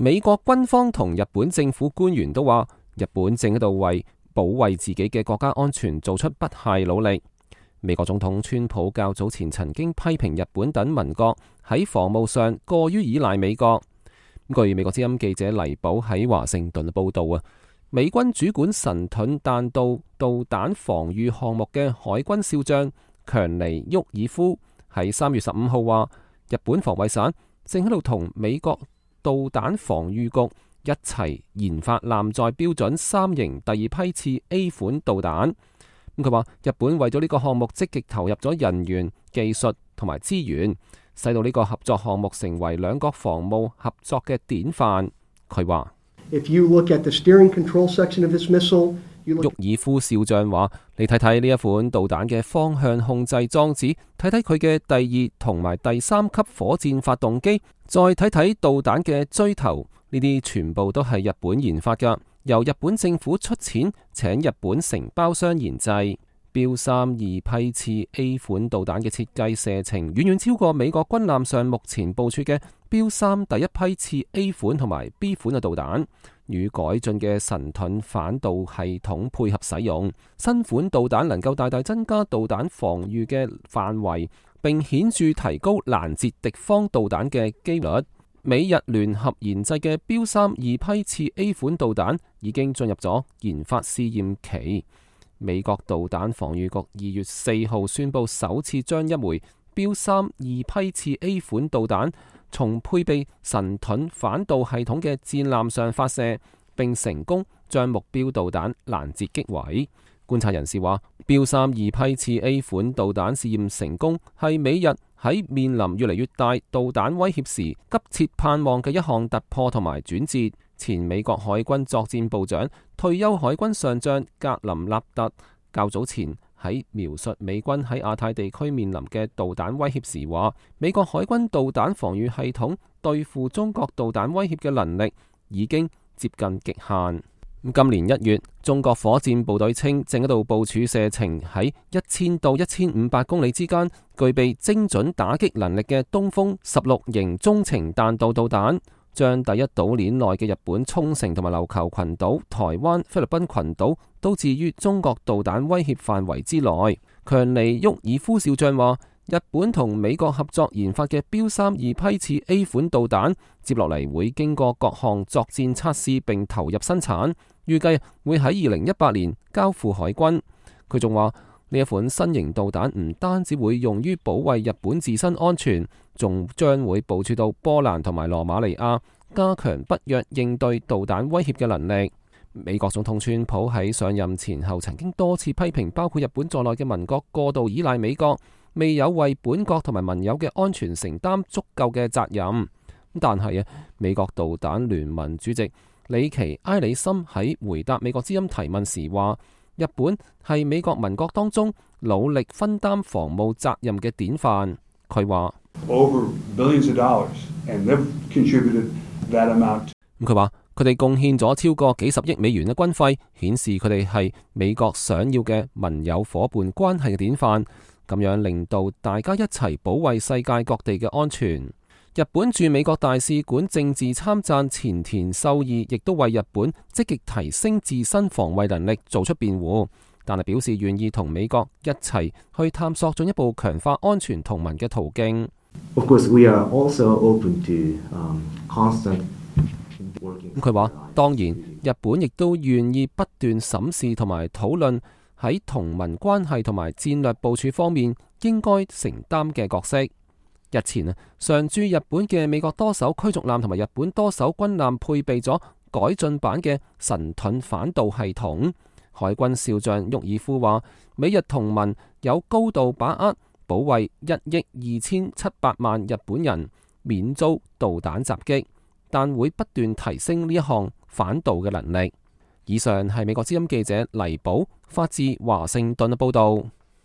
美國軍方同日本政府官員都話，日本正喺度為保衛自己嘅國家安全做出不懈努力。美國總統川普較早前曾經批評日本等盟國喺防務上過於依賴美國。據美國之音記者黎寶喺華盛頓報道，美軍主管神盾彈道導彈防禦項目嘅海軍少將強尼沃爾夫喺3月15號話，日本防衛省正喺度同美國導彈防禦局一齊研發艦載標準3型第二批次 A 款導彈。佢話日本為咗呢個項目積極投入咗人員、技術同埋資源，使到呢個合作項目成為兩國防務合作嘅典範。佢話沃爾夫少將話，你睇睇呢一款導彈嘅方向控制裝置，睇睇佢嘅第2同埋第3級火箭發動機，再睇睇導彈嘅錐頭，呢啲全部都係日本研發㗎，由日本政府出錢請日本承包商研製。標3二批次 A 款導彈嘅設計射程遠遠超過美國軍艦上目前部署嘅標3第一批次 A 款同埋 B 款嘅導彈，與改進嘅神盾反導系統配合使用，新款導彈能夠大大增加導彈防禦嘅範圍，並顯著提高攔截敵方導彈嘅機率。美日聯合研製嘅標3二批次 A 款導彈已經進入咗研發試驗期。美國導彈防禦局2月4號宣布，首次將一枚標3二批次 A 款導彈從配備神盾反導系統嘅戰艦上發射，並成功將目標導彈攔截擊毀。觀察人士話，標3二批次 A 款導彈試驗成功係美日喺面臨越嚟越大導彈威脅時急切盼望嘅一項突破同埋轉折。前美國海軍作戰部長、退休海軍上將格林納特較早前喺描述美軍喺亞太地區面臨嘅導彈威脅時話，美國海軍導彈防禦系統對付中國導彈威脅嘅能力已經接近極限。今年1月，中國火箭部隊稱正喺度部署射程喺1000到1500公里之間，具備精準打擊能力嘅東風16型中程彈道導彈，將第一島鏈內嘅日本沖繩同埋琉球群島、台灣、菲律賓群島都置於中國導彈威脅範圍之內。強尼沃爾夫少將話，日本同美國合作研發嘅標3二批次 A 款導彈，接落嚟會經過各項作戰測試並投入生產，預計會喺2018年交付海軍。佢仲話，呢一款新型導彈唔單止會用於保衛日本自身安全，仲將會部署到波蘭同埋羅馬尼亞，加強北約應對導彈威脅嘅能力。美國總統川普喺上任前後曾經多次批評包括日本在內嘅盟國過度依賴美國，未有為本國同埋盟友嘅安全承擔足夠嘅責任。但係美國導彈聯盟主席里奇埃里森喺回答美國之音提問時話，日本係美國盟國當中努力分擔防務責任嘅典範。佢話佢哋貢獻咗超過幾十億美元嘅軍費，顯示佢哋係美國想要嘅盟友夥伴關係嘅典範，咁樣令到大家一齊保衛世界各地嘅安全。日本駐美國大使館政治參贊前田秀義亦都為日本積極提升自身防衛能力做出辯護，但係表示願意同美國一齊去探索進一步強化安全同盟嘅途徑。佢話，當然，日本亦都願意不斷審視同埋討論喺同盟關係同埋戰略部署方面應該承擔嘅角色。日前常駐日本嘅美國多艘驅逐艦同埋日本多艘軍艦配備咗改進版嘅神盾反導系統。海軍少將沃爾夫話，美日同盟有高度把握保衛1億2700萬日本人免遭導彈襲擊，但會不斷提升呢一項反導嘅能力。以上係美國之音記者黎寶發自華盛頓嘅報道。